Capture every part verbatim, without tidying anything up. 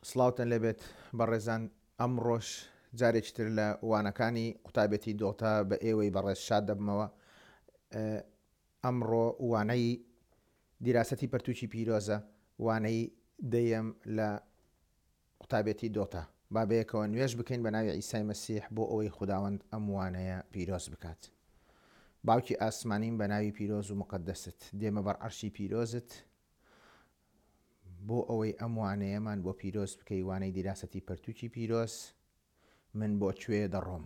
سڵاوتان لێبێت بەڕێزان، ئەمڕۆش جارێکی تر لە وانەکانی قوتابێتی دۆتا بە ئێوەی بەڕێز شاد دەبمەوە. ئەمڕۆ وانەی دیراسەتی پەرتوکی پیرۆزە، وانەی دەیەم لە قوتابێتی دۆتا. با بەیەکەوە نوێژ بکەین بە ناوی عیسای مەسیح بۆ ئەوەی خوداوەند ئەم وانەیە پیرۆز بکات. باوکی ئاسمانیم بە ناوی پیرۆز و مقەدەست دێمە بەر عەرشی پیرۆزت بۆ ئەوەی ئەم وانەیەمان بۆ پیرۆز بکەی، وانەی دیراسەتی پەرتوکی پیرۆز، من بۆ کوێ دەڕۆم؟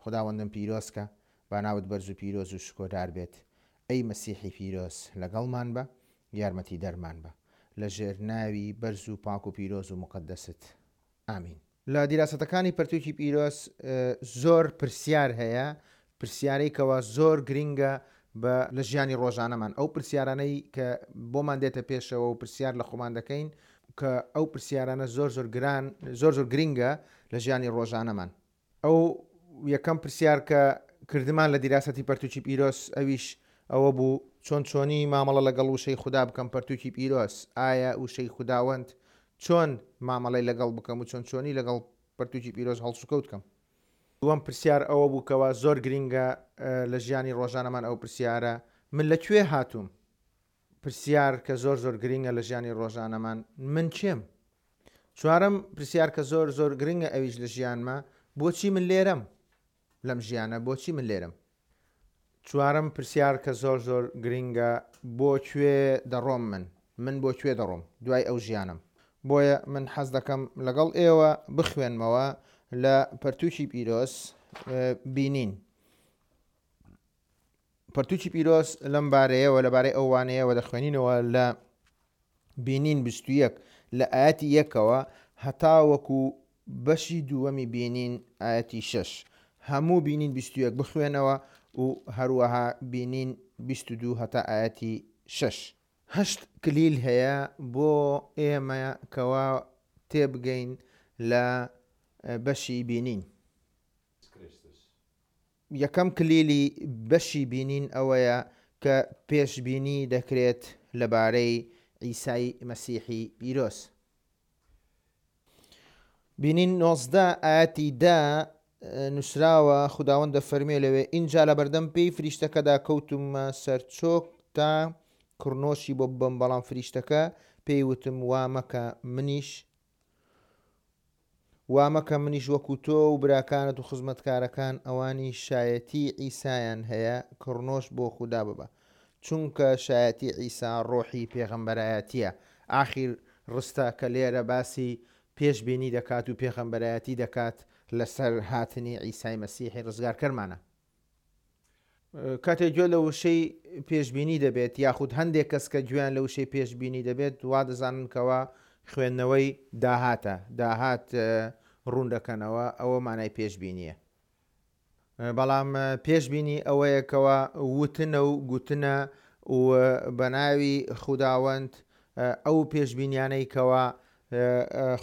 خوداوەندم پیرۆزکە، با ناوت بەرز و پیرۆز و شکۆدار بێت. ئەی مەسیحی پیرۆز لەگەڵمان بە، یارمەتی دەرمان بە، لە ژێر ناوی بەرز و پاک و پیرۆز و مقەدەست. ئامین. لە دیراسەتەکانی پەرتوکی پیرۆز زۆر پرسیار هەیە، پرسیارەی کەوا زۆر گرینگە بە لە ژیانی ڕۆژانەمان، ئەو پرسیارانەی کە بۆمان دێتە پێشەوە و پرسیار لە خۆمان دەکەین کە ئەو پرسیارانە زۆر زۆر گران، زۆر زۆر گرینگە لە ژیانی ڕۆژانەمان. ئەو یەکەم پرسیار کە کردمان لە دیراسەتی پەرتوکی پیرۆز ئەویش ئەوە بوو چۆن چۆنی مامەڵە لەگەڵ وشەی خودا بکەم پەرتوکی پیرۆز، ئایا وشەی خوداوەند چۆن مامەڵەی لەگەڵ بکەم و چۆن چۆنی لەگەڵ پەرتوکی پیرۆز هەڵسوکەوت بکەم. دووەم پرسیار ئەوە بوو کەوا زۆر گرینگە لە ژیانی ڕۆژانەمان، ئەو پرسیارە من لە کوێ هاتووم؟ پرسیار کە زۆر زۆر گرینگە لە ژیانی ڕۆژانەمان، من کێم؟ چوارەم پرسیار کە زۆر زۆر گرینگە ئەویش لە ژیانمە، بۆچی من لێرەم لەم ژیانە، بۆچی من لێرەم؟ چوارەم پرسیار کە زۆر زۆر گرینگە، بۆ کوێ دەڕۆم من؟ من بۆ کوێ دەڕۆم دوای ئەو ژیانم؟ بۆیە من حەز دەکەم لەگەڵ ئێوە بخوێنمەوە لە پەرتوکی پیرۆز بینین. پەرتوکی پیرۆز لەم بارەیەوە، لەبارەی ئەو وانەیەوە دەخوێنینەوە لە بینین بیست و یەک لە ئاەتی یەکەوە هەتاوەکو بەشی دووەمی بینین ئاەتی شەش. هەموو بینین بیست و یەک بخوێنەوە و هەروەها بینین بیست و دوو هەتا ئاەتی شەش. هەشت کلیل هەیە بۆ ئێمە کەوا تێبگەین لە بەشی بینین. یەکەم کلیلی بەشی بینین ئەوەیە کە پێشبینی دەکرێت لەبارەی عیسای مەسیحی پیرۆز. بینین نۆزدە ئاەتی دە نووسراوە، خوداوەند دەفەرموێ لەوێ ئینجا لەبەردەم پێی فریشتەکەدا کەوتومە سەرچۆک تا کڕنۆشی بۆ ببەم، بەڵام فریشتەکە پێی وتم وا مەکە منیش وا مەکە منیش وەکو تۆ و براکانت و خزمەتکارەکان ئەوانی شایەتی عیسایان هەیە کڕنۆش بۆ خودا ببە، چونکە شایەتی عیسا ڕۆحی پێغەمبەرایەتیە. ئاخیر ڕستە کە لێرە باسی پێشبینی دەکات و پێغەمبەرایەتی دەکات لەسەر هاتنی عیسای مەسیحی ڕزگارکەرمانە. کاتێک گوێ لە وشەی پێشبینی دەبێت، یاخود هەندێک کەس کە گوێیان لە وشەی پێشبینی دەبێت وا دەزانن کەوا خوێندنەوەی داهاتە، داهات ڕوون دەکەنەوە، ئەوە مانای پێشبینیە. بەڵام پێشبینی ئەوەیە کەوا وتنە و گوتنە و بە ناوی خوداوەند ئەو پێشبینیانەی کەوا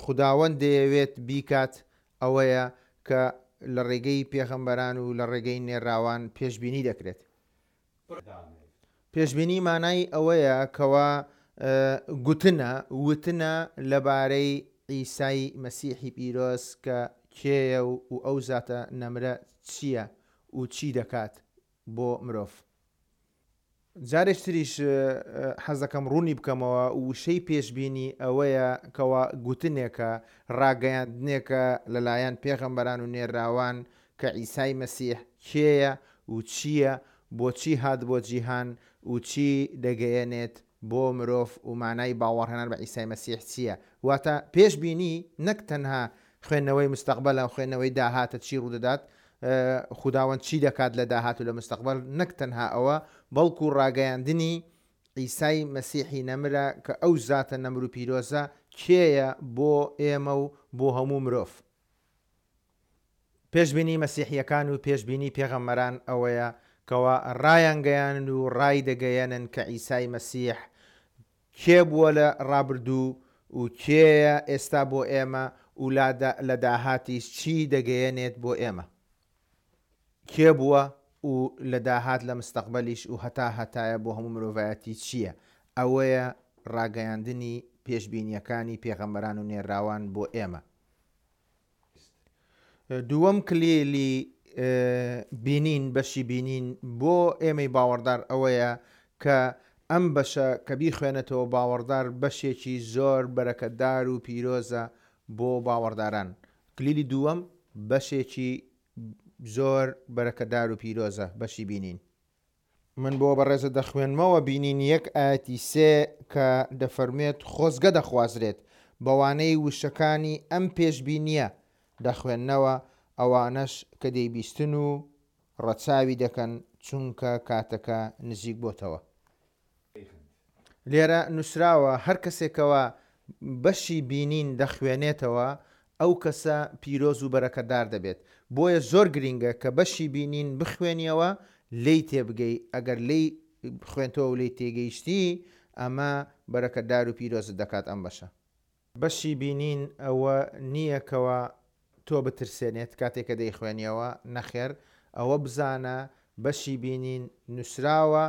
خوداوەند دەیەوێت بیکات ئەوەیە کە لە ڕێگەی پێغەمبەران و لە ڕێگەی نێراوان پێشبینی دەکرێت. پێشبینی مانای ئەوەیە کەوا گوتنە، وتنە لەبارەی عیسای مەسیحی پیرۆز کە کێیە و ئەو زاتە نەمرە چییە و چی دەکات بۆ مرۆڤ. جارێکتریش حەز دەکەم ڕوونی بکەمەوە، وشەی پێشبینی ئەوەیە کەوا گوتنێکە، ڕاگەیاندنێکە لەلایەن پێغەمبەران و نێراوان کە عیسای مەسیح کێیە و چییە، بۆچی هات بۆ جیهان و چی دەگەیەنێت بۆ مرۆڤ و مانای باوەڕهێنان بە عیسای مەسیح چییە. واتە پێشبینی نەک تەنها خوێندنەوەی مستەقبەلە و خوێندنەوەی داهاتە چی ڕوودەدات، خوداوەند چی دەکات لە داهات و لە مستەقبەل، نەک تەنها ئەوە، بەڵکو ڕاگەیاندنی عیسای مەسیحی نەمرە کە ئەو زاتە نەمر و پیرۆزە کێیە بۆ ئێمە و بۆ هەموو مرۆڤ. پێشبینی مەسیحیەکان و پێشبینی پێغەمبەران ئەوەیە کەوا ڕایانگەیانن و ڕای دەگەیەنن کە عیسای مەسیح کێ بووە لە ڕابردوو و کێیە ئێستا بۆ ئێمە و لە داهاتیش چی دەگەیەنێت بۆ ئێمە. کێ بووە و لە داهات لە مستەقبەلیش و هەتا هەتایە بۆ هەموو مرۆڤایەتی چییە؟ ئەوەیە ڕاگەیاندنی پێشبینییەکانی پێغەمبەران و نێرراوان بۆ ئێمە. دووەم کلیلی بینین، بەشی بینین بۆ ئێمەی باوەڕدار ئەوەیە کە ئەم بەشە کە بیخوێنێتەوە باوەڕدار بەشێکی زۆر بەرەکەتدار و پیرۆزە بۆ باوەڕداران. کلیلی دووەم بەشێکی زۆر بەرەکەتدار و پیرۆزە بەشی بینین. من بۆ بەڕێزە دەخوێنمەوە بینین یەک ئایەتی سێ کە دەفەرموێت خۆزگە دەخوازرێت بەوانەی وشەکانی ئەم پێشبینییە دەخوێننەوە ئەوانەش کە دەیبیستن و ڕەچاوی دەکەن چونکە کاتەکە نزیک بۆتەوە. لێرە نووسراوە هەر کەسێکەوە بەشی بینین دەخوێنێتەوە ئەو کەسە پیرۆز و بەرەکەتدار دەبێت. بۆیە زۆر گرینگە کە بەشی بینین بخوێنیەوە لێی تێبگەی، ئەگەر لێی خوێنتەوە و لێی تێگەیشتی ئەمە بەرەکەتدار و پیرۆزت دەکات ئەم بەشە. بەشی بینین ئەوە نییە کەوا تۆ بترسێنێت کاتێک کە دەیخوێنیەوە، نەخێر، ئەوە بزانە بەشی بینین نووسراوە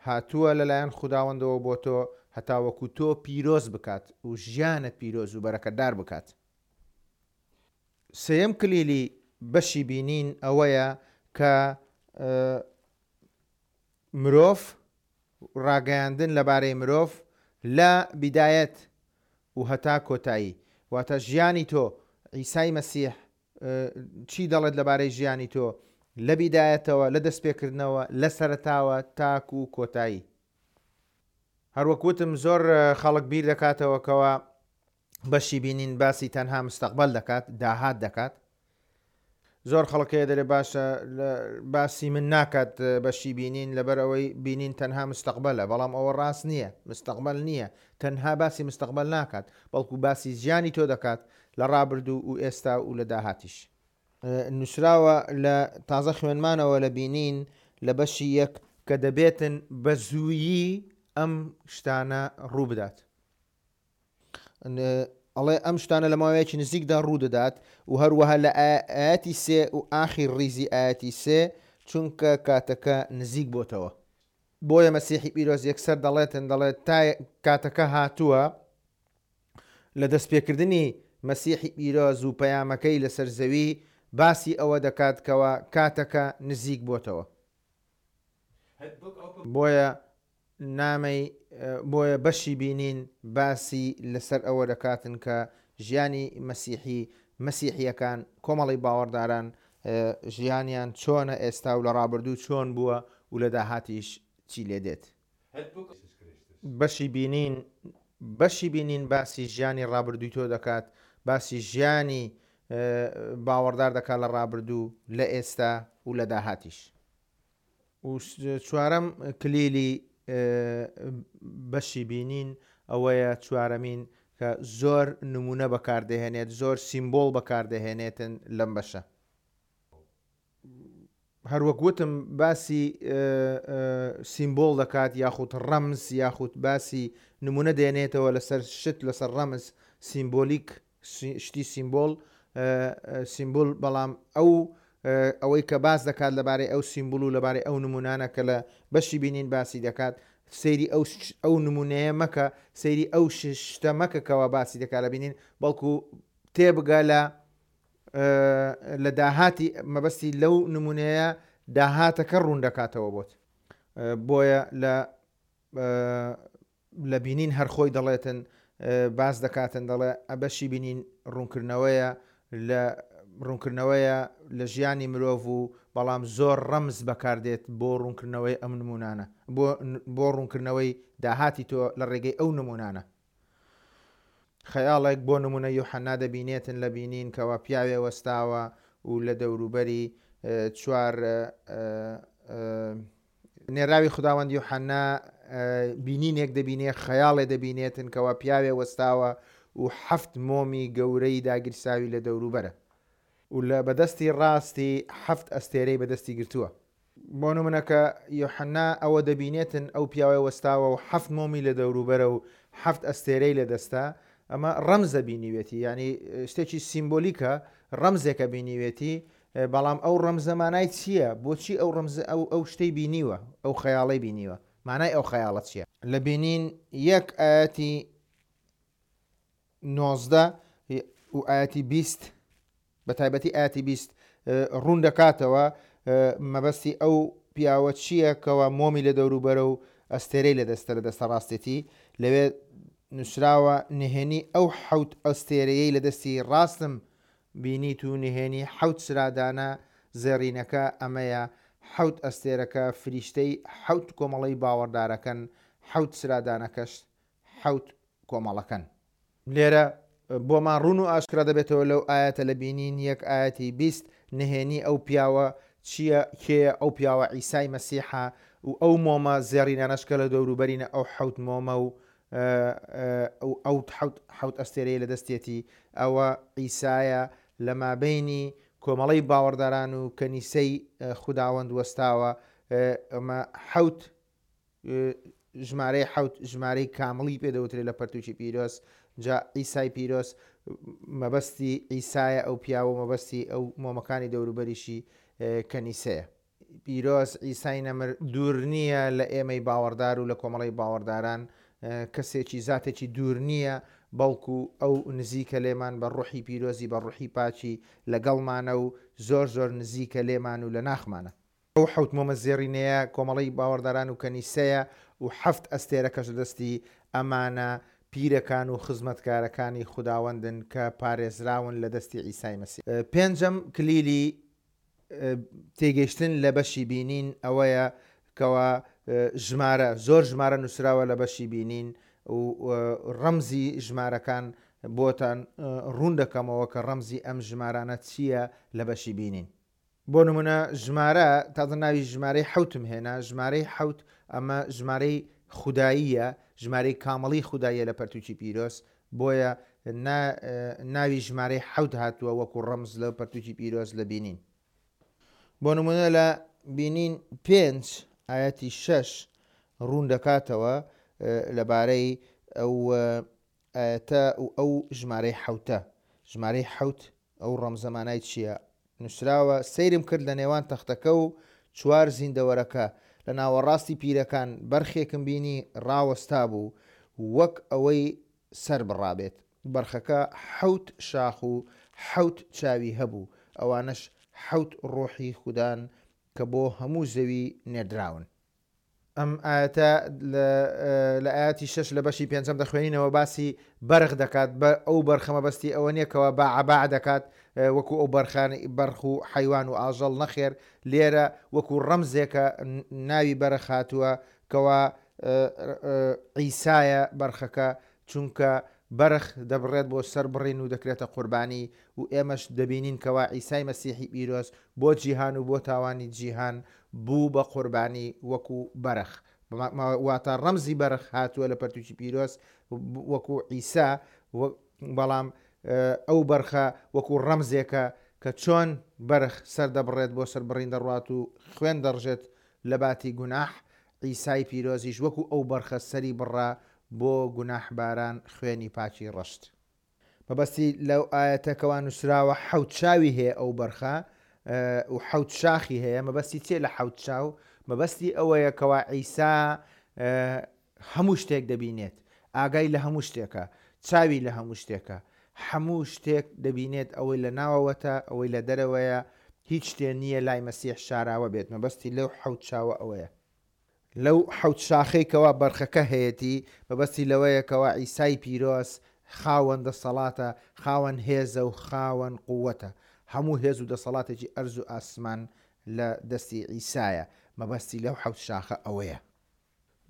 هاتووە لەلایەن خوداوەندەوە بۆ تۆ هەتاوەکو تۆ پیرۆز بکات و ژیانت پیرۆز و بەرەکەتدار بکات. سێیەم کلیلی بەشی بینین ئەوەیە کە مرۆڤ، ڕاگەیاندن لەبارەی مرۆڤ لە بیدایەت و هەتا کۆتایی، واتە ژیانی تۆ، عیسای مەسیح چی دەڵێت لەبارەی ژیانی تۆ لە بیدایەتەوە، لە دەستپێکردنەوە، لە سەرەتاوە تاکو کۆتایی. هەروەک وتم زۆر خەڵک بیر دەکاتەوە کەوا بەشی بینین باسی تەنها مستەقبەل دەکات، داهات دەکات. زۆر خەڵک هەیە دەلێ باشە باسی من ناکات بەشی بینین لەبەر ئەوەی بینین تەنها مستەقبەلە، بەڵام ئەوە ڕاست نییە. مستەقبەل نییە، تەنها باسی مستەقبەل ناکات، بەڵکو باسی ژیانی تۆ دەکات لە ڕابردوو و ئێستا و لە داهاتیش. نووسراوە لە تازە خوێنمانەوە لە بینین لە بەشی یەک کە دەبێتن بە زوویی ئەم شتانە ڕوو بدات. ئەڵێ ئەم شتانە لە ماوەیەکی نزیکدا ڕوو دەدات و هەروەها لە ئاەتی سێ و ئاخیر ڕیزی ئاەتی سێ چونکە کاتەکە نزیک بۆتەوە. بۆیە مەسیحی پیرۆز یەکسەر دەڵێتن، دەڵێت تا کاتەکە هاتووە لە دەستپێکردنی مەسیحی پیرۆز و پەیامەکەی لەسەر زەوی باسی ئەوە دەکات کەوا کاتەکە نزیک بۆتەوە. بۆیە نامەی بۆیە بەشی بینین باسی لەسەر ئەوە دەکاتن کە ژیانی مەسیحی مەسیحیەکان کۆمەڵی باوەڕداران ژیانیان چۆنە ئێستا و لە ڕابردوو چۆن بووە و لە داهاتیش چی لێ دێت. بەشی بینین بەشی بینین باسی ژیانی ڕابردووی تۆ دەکات، باسی ژیانی باوەڕدار دەکات لە ڕابردوو، لە ئێستا و لە داهاتیش. و چوارەم کلیلی بەشی بینین ئەوەیە چوارەمین کە زۆر نمونە بەکاردەهێنێت، زۆر سیمبۆڵ بەکاردەهێنێتن لەم بەشە. هەروەک وتم باسی سیمبۆڵ دەکات یاخود ڕەمز، یاخود باسی نمونە دێنێتەوە لەسەر شت، لەسەر ڕەمز، سیمبۆلیک، شتی سیمبۆل، سیمبول، بەڵام ئەو ئەوەی کە باس دەکات لەبارەی ئەو سیمبول و لەبارەی ئەو نمونانە کە لە بەشی بینین باسی دەکات، سەیری ئەو ئەو نمونەیە مەکە، سەیری ئەو شتە مەکە کەوا باسی دەکات لە بینین، بەڵکو تێبگە لە لە داهاتی مەبەستی لەو نمونەیە داهاتەکە ڕوون دەکاتەوە بۆت. بۆیە لە لە بینین هەر خۆی دەڵێتن، باس دەکاتن، دەڵێ بەشی بینین ڕوونکردنەوەیە لە ڕوونکردنەوەیە لە ژیانی مرۆڤ و بەڵام زۆر ڕەمز بەکاردێت بۆ ڕوونکردنەوەی ئەم نمونانە، بۆ ڕوونکردنەوەی داهاتی تۆ لە ڕێگەی ئەو نمونانە. خەیاڵێک بۆ نمونە یوحەنا دەبینێتن لە بینین کەوا پیاوێ وەستاوە و لە دەوروبەری چوار نێراوی خداوەند یوحەنا بینینێک دەبینێ، خەیاڵێ دەبینێتن کەوا پیاوێ وەستاوە و حەفت مۆمی گەورەی داگیرساوی لە دەوروبەرە و لە بەدەستی ڕاستی حەفت ئەستێرەی بەدەستی گرتووە. بۆ نمونەکە یوحەنا ئەوە دەبینێتن ئەو پیاوێ وەستاوە و حەفت مۆمی لە دەوروبەرە و حەفت ئەستێرەی لە دەستە، ئەمە ڕەمزە بینیوێتی، یعنی شتێکی سیمبۆلیکە، ڕەمزێکە بینیوێتی، بەڵام ئەو ڕەمزە مانای چییە؟ بۆچی ئەو ڕەمزە ئەو ئەو شتەی بینیوە، ئەو خەیاڵەی بینیوە، مانای ئەو خەیاڵە چییە؟ لە بینین یەک ئاەتی نۆزدە و ئایەتی بیست، بە تایبەتی ئایەتی بیست ڕوون دەکاتەوە مەبەستی ئەو پیاوە چییە کەوا مۆمی لە دەوروبەرە و ئەستێرەی لە دەستە لە دەستە ڕاستێتی. لەوێ نووسراوە نهێنی ئەو حەوت ئەستێرەیەی لە دەستی ڕاستم بینیت و نهێنی حەوت چرادانە زێڕینەکە ئەمەیە، حەوت ئەستێرەکە فریشتەی حەوت کۆمەڵەی باوەڕدارەکەن، حەوت چرادانەکەش حەوت کۆمەڵەکەن. لێرە بۆمان ڕوون و ئاشکرا دەبێتەوە لەو ئایەتە لە بینین یەک ئایەتی بیست نهێنی ئەو پیاوە چییە، کێیە ئەو پیاوە؟ عیسای مەسیحە و ئەو مۆمە زێڕینانەش کە لە دەوروبەرینە ئەو حەوت مۆمە و ئەو حەوت حەوت ئەستێرەیە لە دەستێتی، ئەوە عیسایە لە مابەینی کۆمەڵەی باوەڕداران و کەنیسەی خوداوەند وەستاوە. ئەمە حەوت ژمارەی حەوت ژمارەی کامڵی پێدەوترێت لە پەرتوکی پیرۆز. جا عیسای پیرۆز مەبەستی عیسایە ئەو پیاوە، مەبەستی ئەو مۆمەکانی دەوروبەریشی کەنیسەیە. پیرۆز عیسای نەمر دوور نییە لە ئێمەی باوەڕدار و لە کۆمەڵەی باوەڕداران، کەسێکی زاتێکی دوور نییە، بەڵکو ئەو نزیکە لێمان بە ڕوحی پیرۆزی، بە ڕوحی پاکی لەگەڵمانە و زۆر زۆر نزیکە لێمان و لە ناخمانە. ئەو حەوت مۆمە زێڕینەیە کۆمەڵەی باوەڕداران و کەنیسەیە و حەفت ئەستێرەکەش لە دەستی ئەمانە پیرەکان و خزمەتکارەکانی خوداوەندن کە پارێزراون لە دەستی عیسای مەسیح. پێنجەم کلیلی تێگەیشتن لە بەشی بینین ئەوەیە کەوا ژمارە، زۆر ژمارە نووسراوە لە بەشی بینین و ڕەمزی ژمارەکان بۆتان ڕوون دەکەمەوە کە ڕەمزی ئەم ژمارانە چییە لە بەشی بینین. بۆ نمونە ژمارە، تازە ناوی ژمارەی حەوتم هێنا، ژمارەی حەوت ئەمە ژمارەی خوداییە، ژمارەی کامڵی خوداییە لە پەرتوکی پیرۆز، بۆیە ناوی ژمارەی حەوت هاتووە وەکو ڕەمز لە پەرتوکی پیرۆز لە بینین. بۆ نمونە لە بینین پێنج ئایەتی شەش ڕوون دەکاتەوە لەبارەی ئەو ئایەتە و ئەو ژمارەی حەوتە. ژمارەی حەوت ئەو ڕەمزەمانای چییە؟ نووسراوە سەیرم کرد لە نێوان تەختەکە و چوار زیندەوەرەکە لە ناوەڕاستی پیرەکان بەرخێکم بینی ڕاوەستا بوو وەک ئەوەی سەر بڕابێت. بەرخەکە حەوت شاخ و حەوت چاوی هەبوو، ئەوانەش حەوت ڕۆحی خودان کە بۆ هەموو زەوی نێردراون. ئەم ئاەتە لە ئاەتی شەش لە بەشی پێنجەم دەخوێنینەوە باسی بەرخ دەکات. ئەو بەرخە مەبەستی ئەوە نییە باع باع دەکات وەکو ئەو بەرخانی بەرخ و حەیوان و ئاژەڵ، نەخێر لێرە وەکو ڕەمزێکە ناوی بەرخ هاتووە کەوا عیسایە بەرخەکە، چونکە بەرخ دەبڕێت بۆ سەر بڕین و دەکرێتە قوربانی و ئێمەش دەبینین کەوا عیسای مەسیحی پیرۆز بۆ جیهان و بۆ تاوانی جیهان بوو بە قوربانی وەکو بەرخ. واتە ڕەمزی بەرخ هاتووە لە پەرتوکی پیرۆز وەکو عیسا، بەڵام ئەو بەرخە وەکو ڕەمزێکە کە چۆن بەرخ سەر دەبڕێت بۆ سەربڕین دەڕوات و خوێن دەڕژێت لە باتی گوناح، عیسای پیرۆزیش وەکو ئەو بەرخە سەری بڕا بۆ گوناحباران خوێنی پاکی ڕشت. مەبەستی لەو ئاەتەکەوە نووسراوە حەوت چاوی هەیە ئەو بەرخە و حەوت شاخی هەیە. مەبەستی چێ لە حەوت چاو؟ مەبەستی ئەوەیە کەوا عیسا هەموو شتێک دەبینێت، ئاگای لە هەموو شتێکە، چاوی لە هەموو شتێکە، هەموو شتێک دەبینێت، ئەوەی لە ناوەوەتە ئەوەی لە دەرەوەیە، هیچ شتێ نییە لای مەسیح شاراوە بێت. مەبەستی لەو حەوت چاوە ئەوەیە. لەو حەوت شاخەی کەوا بەرخەکە هەیەتی مەبەستی لەوەیە کەوا عیسای پیرۆز خاوەن دەسەڵاتە، خاوەن هێزە و خاوەن قووەتە. هەموو هێز و دەسەڵاتێکی ئەرز و ئاسمان لە دەستی عیسایە. مەبەستی لەو حەوت شاخە ئەوەیە.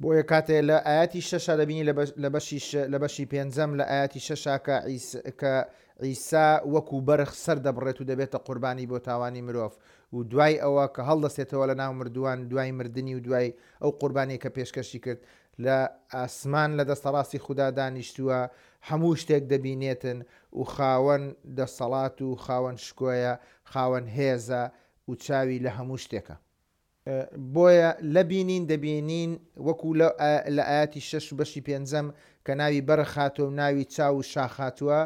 بۆیە کاتێ لە ئاەتی شەشا دەبینی لە بەشی پێنجەم لە ئاەتی شەشا کە عیسا وەکو بەرخ سەر دەبڕێت و دەبێتە قوربانی بۆ تاوانی مرۆڤ و دوای ئەوە کە هەڵدەستێتەوە لە ناو مردووان دوای مردنی و دوای ئەو قوربانی کە پێشکەشی کرد لە ئاسمان لە دەستەڕاستی خودا دانیشتووە، هەموو شتێک دەبینێتن و خاوەن دەسەڵات و خاوەن شکۆیە، خاوەن هێزە و چاوی لە هەموو شتێکە. بۆیە لە بینین دەبینین وەکو لە ئاەتی شەش و بەشی پێنجەم کە ناوی بەرخ هاتووە و ناوی چاو و شاخ هاتووە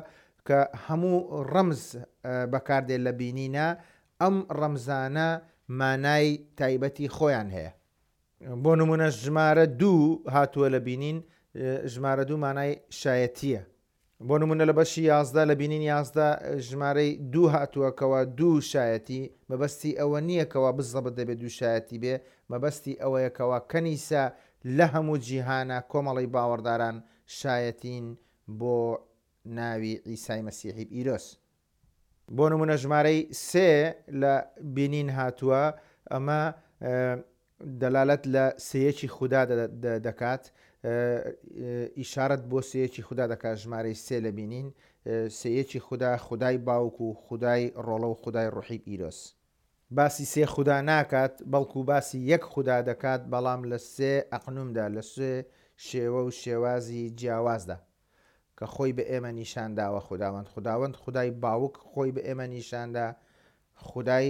کە هەموو ڕەمز بەکاردێ لە بینینە، ئەم ڕەمزانە مانای تایبەتی خۆیان هەیە. بۆ نمونە ژمارە دوو هاتووە لە بینین، ژمارە دوو مانای شایەتیە. بۆ نمونە لە بەشی یازدە لە بینین یازدە ژمارەی دوو هاتووە کەوا دوو شایەتی، مەبەستی ئەوە نییە کەوا بزەبت دەبێت دوو شایەتی بێ، مەبەستی ئەوەیە کەوا کەنیسە لە هەموو جیهانە کۆمەڵی باوەڕداران شایەتین بۆ ناوی عیسای مەسیحی پیرۆز. بۆ نمونە ژمارەی سێ لە بینین هاتووە، ئەمە دەلالەت لە سێیەکی خودا دەکات، ئیشارەت بۆ سێیەکی خودا دەکات. ژمارەی سێ لە بینین سێیەکی خودا، خودای باوک و خودای ڕۆڵە و خودای ڕۆحی پیرۆز. باسی سێ خودا ناکات، بەڵکو باسی یەک خودا دەکات، بەڵام لە سێ ئەقنومدا، لە سێ شێوە و شێوازی جیاوازدا کە خۆی بە ئێمە نیشان داوە. خوداوەند خوداوەند خودای باوک خۆی بە ئێمە نیشاندا، خودای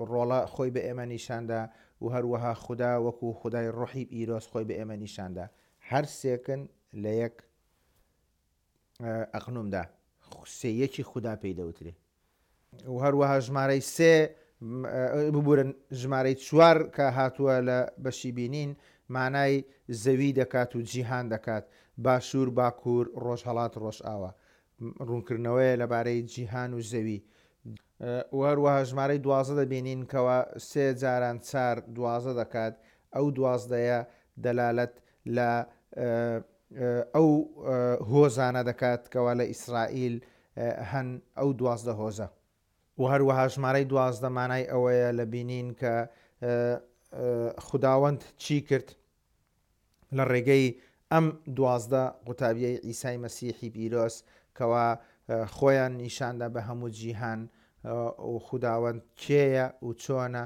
ڕۆڵە خۆی بە ئێمە نیشاندا و هەروەها خودا وەکو خودای ڕۆحی پیرۆز خۆی بە ئێمە نیشاندا. هەر سێکن لە یەک ئەقنومدا، سێیەکی خودا پێی دەوترێ. و هەروەها ژمارەی سێ ببورن ژمارەی چوار کە هاتووە لە بەشی بینین مانای زەوی دەکات و جیهان دەکات، باشوور، باکوور، ڕۆژهەڵات، ڕۆژئاوا، ڕوونکردنەوەیە لەبارەی جیهان و زەوی. و هەروەها ژمارەی دوازدە دەبینین کەوا سێ جاران چار دوازدە دەکات. ئەو دوازدەیە دەلالەت لە ئەو هۆزانە دەکات کەوا لە ئیسرائیل هەن، ئەو دوازدە هۆزە. و هەروەها ژمارەی دوازدە مانای ئەوەیە لە بینین کە خوداوەند چی کرد لە ڕێگەی ئەم دوازدە قوتابیەی عیسای مەسیحی پیرۆز کەوا خۆیان نیشاندا بە هەموو جیهان و خوداوەند کێیە و چۆنە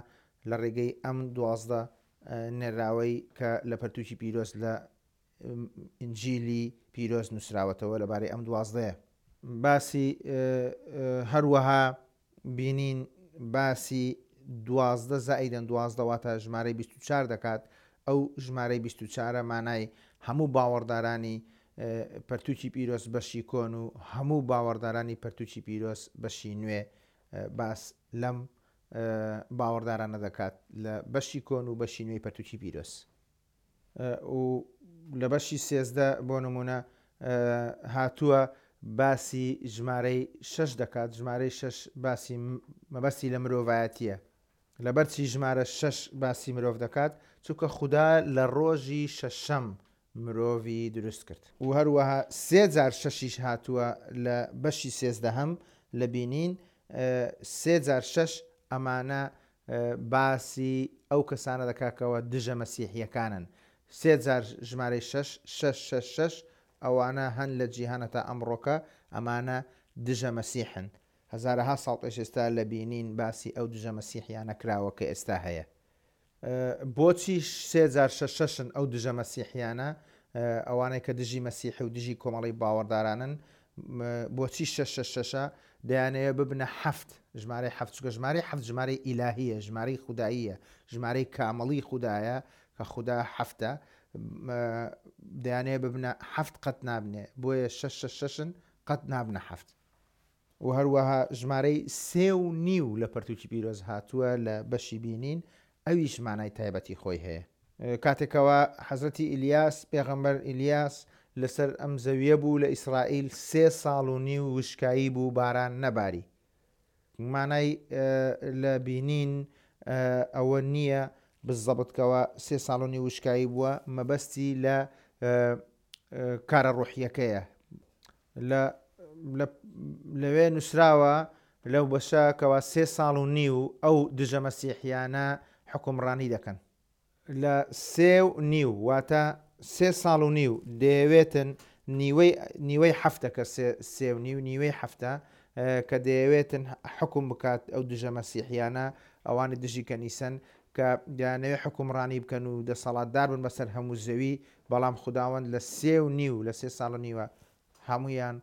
لە ڕێگەی ئەم دوازدە نێراوەی کە لە پەرتوکی پیرۆز لە ئینجیلی پیرۆز نووسراوەتەوە لەبارەی ئەم دوازدەیە. باسی هەروەها بینین باسی دوازدە زائیدەن دوازدە واتە ژمارەی بیست و چوار دەکات. ئەو ژمارەی بیست و چوارە مانای هەموو باوەڕدارانی پەرتوکی پیرۆز بەشی کۆن و هەموو باوەڕدارانی پەرتوکی پیرۆز بەشی نوێ باس لەم باوەڕدارانە دەکات لە بەشی کۆن و بەشی نوێی پەرتوکی پیرۆز. و لە بەشی سێزدە بۆ نمونە هاتووە باسی ژمارەی شەش دەکات. ژمارەی شەش باسی مەبەستی لە مرۆڤایەتیە. لەبەرچی ژمارە شەش باسی مرۆڤ دەکات؟ چونکە خودا لە ڕۆژی شەشەم مرۆڤی دروست کرد. و هەروەها سێ جار شەشیش هاتووە لە بەشی سێزدەهەم لە بینین، سێ جار شەش ئەمانە باسی ئەو کەسانە دەکاتەوە دژە مەسیحیەکانن. سێ جار ژمارەی شەش شەش شەش شەش ئەوانە هەن لە جیهانە تا ئەمڕۆکە، ئەمانە دژە مەسیحن. هەزارەها ساڵ پێش ئێستا لە بینین باسی ئەو دژە مەسیحیانە کراوە کە ئێستا هەیە. بۆچی سێ جار شەش شەشن ئەو دژە مەسیحیانە، ئەوانەی کە دژی مەسیحی و دژی کۆمەڵی باوەڕدارانن؟ بۆچی شەش شەش شەشە؟ دەیانەوێت ببنە حەفت، ژمارەی حەفت، چونکە ژمارەی حەفت ژمارەی ئیلاهیە، ژمارەی خوداییە، ژمارەی کامڵی خودایە کە خودا حەفتە. دەیانەوێت ببنە حەفت قەت نابنێ، بۆیە شەش شەش شەشن قەت نابنە حەفت. و هەروەها ژمارەی سێ و نیو لە پەرتوکی پیرۆز هاتووە لە بەشی بینین، ئەویش مانای تایبەتی خۆی هەیە. کاتێکەوە حەزرەتی ئیلیاس، پێغەمبەر ئیلیاس لەسەر ئەم زەویە بوو لە ئیسرائیل، سێ ساڵ و نیو وشکایی بوو، باران نەباری. مانای لە بینین ئەوە نییە بزەبتکەوە سێ ساڵ و نیو وشکایی بووە، مەبەستی لە کارە ڕۆحیەکەیە. لەوێ نووسراوە لەو بەشە کەوا سێ ساڵ و نیو ئەو دژە مەسیحیانە حکومڕانی دەکەن. لە سێ و نیو واتە سێ ساڵ و نیو دەیەوێتن نیوەی هەفتە کە سێ و نیو نیوەی هەفتە کە دەیەوێتن حکوم بکات ئەو دژە مەسیحیانە، ئەوانە دژی کەنیسەن کە دەیانەوێت حکومڕانی بکەن و دەسەڵاتدار بن بەسەر هەموو زەوی، بەڵام خوداوەند لە سێ و نیو لە سێ ساڵ و نیوە هەمویان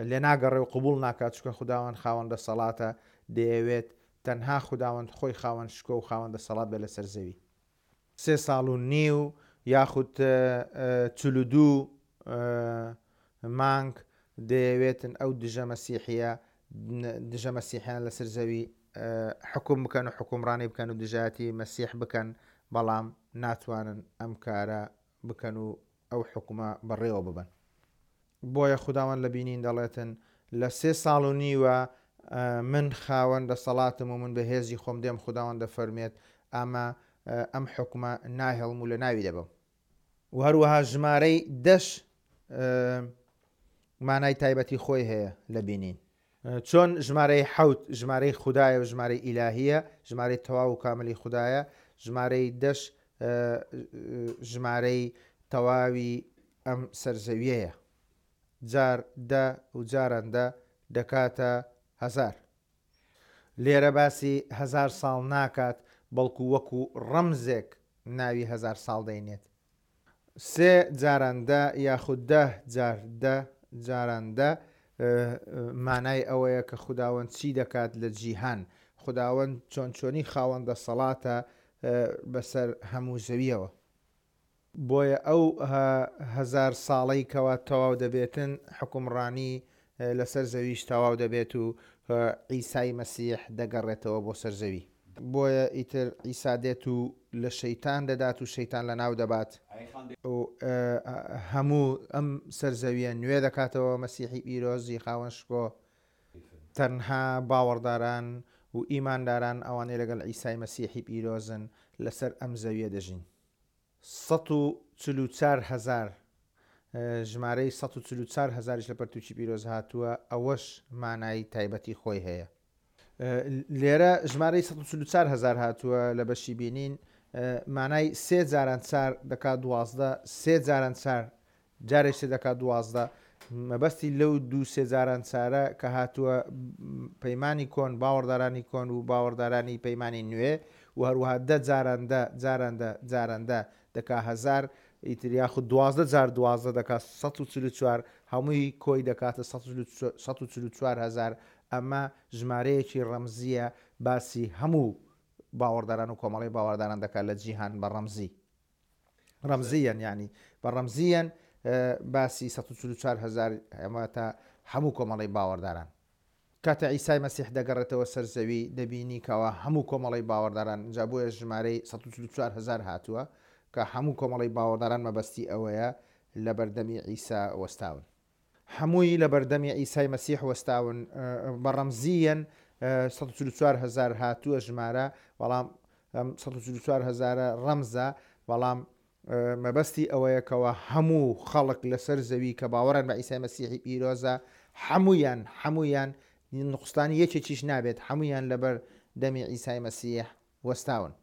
لێ ناگەڕێ و قبول ناکات، چونکە خوداوەند خاوەن دەسەڵاتە، دەیەوێت تەنها خوداوەند خۆی خاوەن شکۆ و خاوەن دەسەڵات بێ لەسەر زەوی. سێ ساڵ و نیو یاخود چل و دوو مانگ دەیەوێتن ئەو دژە مەسیحیە دژە مەسیحیان لەسەر زەوی حکوم بکەن و حکومڕانی بکەن و دژایەتی مەسیح بکەن، بەڵام ناتوانن ئەم کارە بکەن و ئەو حکومە بەڕێوە ببن. بۆیە خوداوەند لە بینین دەڵێتن لە سێ ساڵ و نیوە من خاوەن دەسەڵاتم و من بە هێزی خۆم دێم، خوداوەند دەفەرمێت ئەمە ئەم حوکمە ناهێڵم و لە ناوی دەبەم. و هەروەها ژمارەی دەش مانای تایبەتی خۆی هەیە لە بینین. چۆن ژمارەی حەوت ژمارەی خودایە و ژمارەی ئیلاهیە، ژمارەی تەواو و کاملی خودایە، ژمارەی دەش ژمارەی تەواوی ئەم سەرزەویەیە. جار دە و جاران دە دەکاتە هەزار. لێرە باسی هەزار ساڵ ناکات، بەڵکو وەکو ڕەمزێک ناوی هەزار ساڵ دەینێت. سێ جاران دە یاخود دە جار دە جاران دە مانای ئەوەیە کە خوداوەند چی دەکات لە جیهان، خوداوەند چۆن چۆنی خاوەن دەسەڵاتە بەسەر هەموو زەویەوە. بۆیە ئەو هەزار ساڵەی کەوا تەواو دەبێتن حکومڕانی لەسەر زەویش تەواو دەبێت و عیسای مەسیح دەگەڕێتەوە بۆ سەر زەوی. بۆیە ئیتر عیسا دێت و لە شەیتان دەدات و شەیتان لە ناو دەبات و هەموو ئەم سەرزەویە نوێ دەکاتەوە. مەسیحی پیرۆزی خاوەن شکۆ تەنها باوەڕداران و ئیمانداران ئەوانەی لەگەڵ عیسای مەسیحی پیرۆزن لەسەر ئەم زەویە دەژین. سەد و چل و چوار هەزار ژمارەی سەد و چل و چوار هەزاریش لە پەرتوکی پیرۆز هاتووە، ئەوەش مانای تایبەتی خۆی هەیە. لێرە ژمارەی سەد و چل و چوار هەزار هاتووە لە بەشی بینین، مانای سێ جاران چار دەکات دوازدە، سێ جاران چار جارێک سێ دەکات دوازدە. مەبەستی لەو دوو سێ جاران چارە کە هاتووە پەیمانی کۆن، باوەڕدارانی کۆن و باوەڕدارانی پەیمانی نوێ، و هەروەها دە جاران دە جاران دە جاران دە دەکا هەزار، ئیتر یاخود دوازدە جار دوازدە دەکات سەد و چل و چوار، هەمووی کۆی دەکاتە سەد و چل و چوار هەزار. ئەمە ژمارەیەکی ڕەمزیە، باسی هەموو باوەڕداران و کۆمەڵی باوەڕداران دەکات لە جیهان بە ڕەمزی، ڕەمزیەن یعنی بە ڕەمزیەن باسی سەد و چل و چوار هەزار ئەمە تا هەموو کۆمەڵی باوەڕداران. کاتە عیسای مەسیح دەگەڕێتەوە سەر زەوی دەبینی کەوا هەموو کۆمەڵی باوەڕداران، جا بۆیە ژمارەی سەد و چل و چوار هەزار هاتووە کە هەموو کۆمەڵی باوەڕداران مەبەستی ئەوەیە لە بەردەمی عیسا وەستاون، هەمووی لە بەردەمی عیسای مەسیح وەستاون. بە ڕەمزیەن سەد و چل و چوار هەزار هاتووە ژمارە، بەڵام سەد و چل و چوار هەزارە ڕەمزە، بەڵام مەبەستی ئەوەیە کەوا هەموو خەڵک لەسەر زەوی کە باوەڕن بە عیسای مەسیحی پیرۆزە هەموویان هەموویان نقستانی یەکێکیش نابێت، هەموویان لەبەر دەمی عیسای مەسیح وەستاون،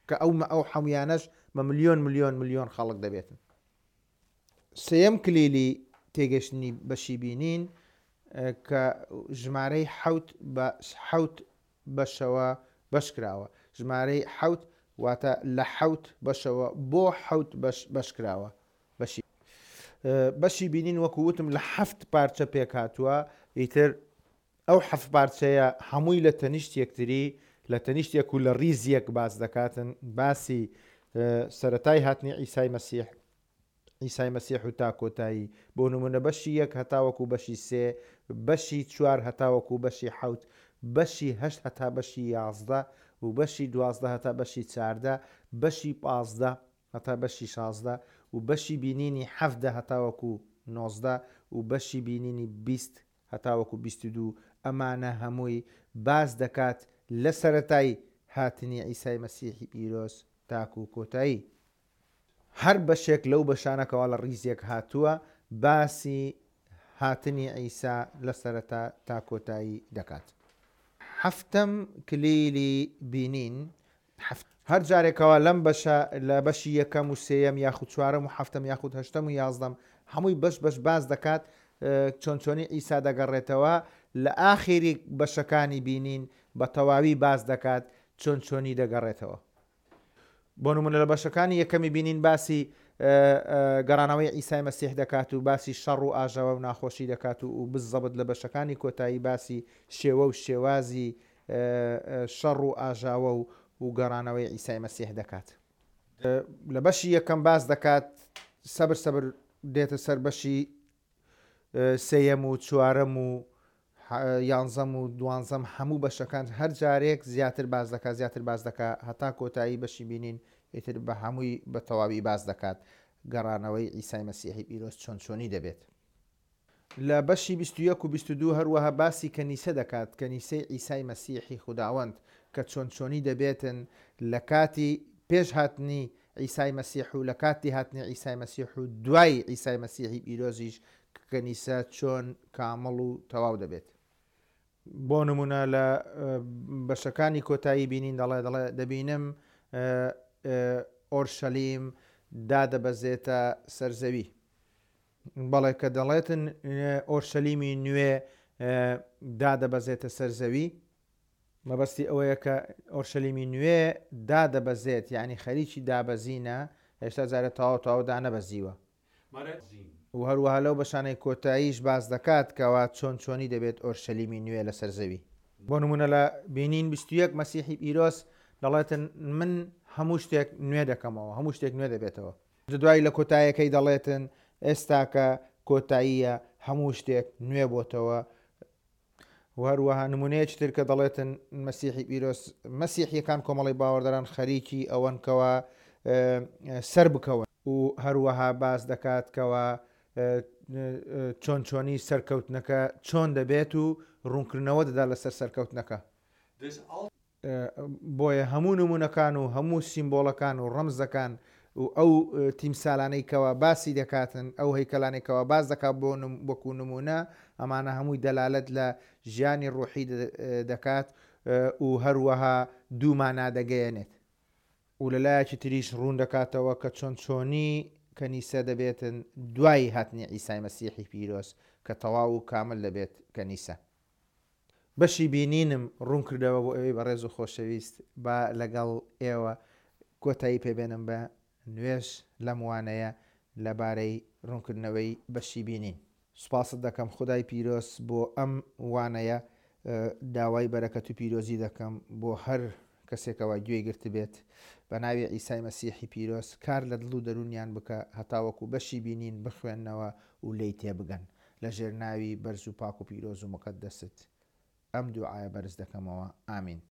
کە ئەو ئەو هەمویانەش بە ملیۆن ملیۆن ملیۆن خەڵک دەبێتن. سێیەم کلیلی تێگەشتنی بەشی بینین کە ژمارەی حەوت بە حەوت بەشەوە بەش کراوە. ژمارەی حەوت واتە لە حەوت بەشەوە بۆ حەوت بەش بەش کراوە. بەشی بەشی بینین وەکو وتم لە حەفت پارچە پێک هاتووە. ئیتر ئەو حەفت پارچەیە هەمووی لە تەنیشت یەکتری، لە تەنیشت یەک و لە ڕیز یەک باس دەکاتن. باسی سەرەتای هاتنی عیسای مەسیح، عیسای مەسیح و تا کۆتایی، بۆ نمونە بەشی یەک هەتاوەکو بەشی سێ، بەشی چوار هەتاوەکو بەشی حەوت، بەشی هەشت هەتا بەشی یازدە و بەشی دوازدە هەتا بەشی چاردە، بەشی پازدە هەتا بەشی شازدە و بەشی بینینی حەفدە هەتاوەکو نۆزدە و بەشی بینینی بیست هەتاوەکو بیست و دوو. ئەمانە هەمووی باس دەکات لە سەرەتای هاتنی عیسای مەسیحی پیرۆز تاکو کۆتایی. هەر بەشێک لەو بەشانەکەوە لە ڕیزێک هاتووە باسی هاتنی عیسا لە سەرەتا تا کۆتایی دەکات. هەفتەم کلیلی بینین، هەر جارێکەوە لەم بەشە لە بەشی یەکەم و سێیەم یاخود چوارەم و هەفتەم یاخود هەشتەم و یازدەم هەمووی بەش بەش باس دەکات چۆن چۆنی عیسا دەگەڕێتەوە. لە ئاخیری بەشەکانی بینین بە تەواوی باس دەکات چۆن چۆنی دەگەڕێتەوە. بۆ نمونە لە بەشەکانی یەکەمی بینین باسی گەڕانەوەی عیسای مەسیح دەکات و باسی شەڕ و ئاژاوە و ناخۆشی دەکات و بزەبت لە بەشەکانی کۆتایی باسی شێوە و شێوازی شەڕ و ئاژاوە و گەڕانەوەی عیسای مەسیح دەکات. لە بەشی یەکەم باس دەکات، سەبر سەبر دێتە سەر بەشی سێیەم و چوارەم و یانزەم و دوانزەم، هەموو بەشەکان هەر جارێک زیاتر باز دەکات زیاتر باز دەکات هەتا کۆتایی بەشی بینین ئیتر بە هەمووی بە تەواوی باز دەکات. گەڕانەوەی عیسای مەسیحی پیرۆز چۆن چۆنی دەبێت. لە بەشی بیست و یەک و بیست و دوو هەروەها باسی کەنیسە دەکات، کەنیسەی عیسای مەسیحی خوداوەند کە چۆن چۆنی دەبێتن لە کاتی پێش هاتنی عیسای مەسیح و لە کاتی هاتنی عیسای مەسیح و دوای عیسای مەسیحی پیرۆزیش کەنیسە چۆن کامڵ و تەواو دەبێت. بۆ نمونە لە بەشەکانی کۆتایی بینین دەڵێ دەڵێ دەبینم ئۆرشەلیم دادەبەزێتە سەر زەوی. بەڵێ کە دەڵێتن ئۆرشەلیمی نوێ دادەبەزێتە سەر زەوی، مەبەستی ئەوەیە کە ئۆرشەلیمی نوێ دادەبەزێت، یعنی خەریکی دابەزینە، هێشتا جارێ تەواو تەواو دانەبەزیوە. و هەروەها لەو بەشانەی کۆتاییش باس دەکات کەوا چۆن چۆنی دەبێت ئۆرشەلیمی نوێ لەسەر زەوی. بۆ نمونە لە بینین بیست و یەک مەسیحی پیرۆز دەڵێتن من هەموو شتێک نوێ دەکەمەوە، هەموو شتێک نوێ دەبێتەوە. دوایی لە کۆتاییەکەی دەڵێتن ئێستاکە کۆتاییە هەموو شتێک نوێ بۆتەوە. و هەروەها نمونەیەکی تر کە دەڵێتن مەسیحی پیرۆز، مەسیحیەکان کۆمەڵی باوەڕداران خەریکی ئەوەن کەوا سەر بکەون. و هەروەها باس دەکات کەوا چۆن چۆنی سەرکەوتنەکە چۆن دەبێت و ڕوونکردنەوە دەدا لەسەر سەرکەوتنەکە. بۆیە هەموو نمونەکان و هەموو سیمبۆڵەکان و ڕەمزەکان و ئەو تیمسالانەی کەوا باسی دەکاتن، ئەو هەیکەلانەی کەوا باس دەکات بۆ وەکو نمونە، ئەمانە هەمووی دەلالەت لە ژیانی ڕوحی دەکات و هەروەها دوو مانا دەگەیەنێت. و لە لایەکی تریش ڕوون دەکاتەوە کە چۆن چۆنی کەنیسە دەبێتن دوای هاتنی عیسای مەسیحی پیرۆز کە تەواو و کامل دەبێت کەنیسە. بەشی بینینم ڕوون کردەوە بۆ ئەوەی بەڕێز و خۆشەویست با لەگەڵ ئێوە کۆتایی پێبێنم بە نوێژ لەم وانەیە لەبارەی ڕوونکردنەوەی بەشی بینین. سوپاست دەکەم خدای پیرۆز بۆ ئەم وانەیە، داوای بەرەکەت و پیرۆزی دەکەم بۆ هەر کەسێکەوە گوێی گرت بێت بە ناوی عیسای مەسیحی پیرۆز کار لە دڵ و دەروونیان بکە هەتاوەکو بەشی بینین بخوێننەوە و لێی تێبگەن لە ژێر ناوی بەرز و پاک و پیرۆز و مقەدەست ئەم دوعایە بەرز دەکەمەوە. ئامین.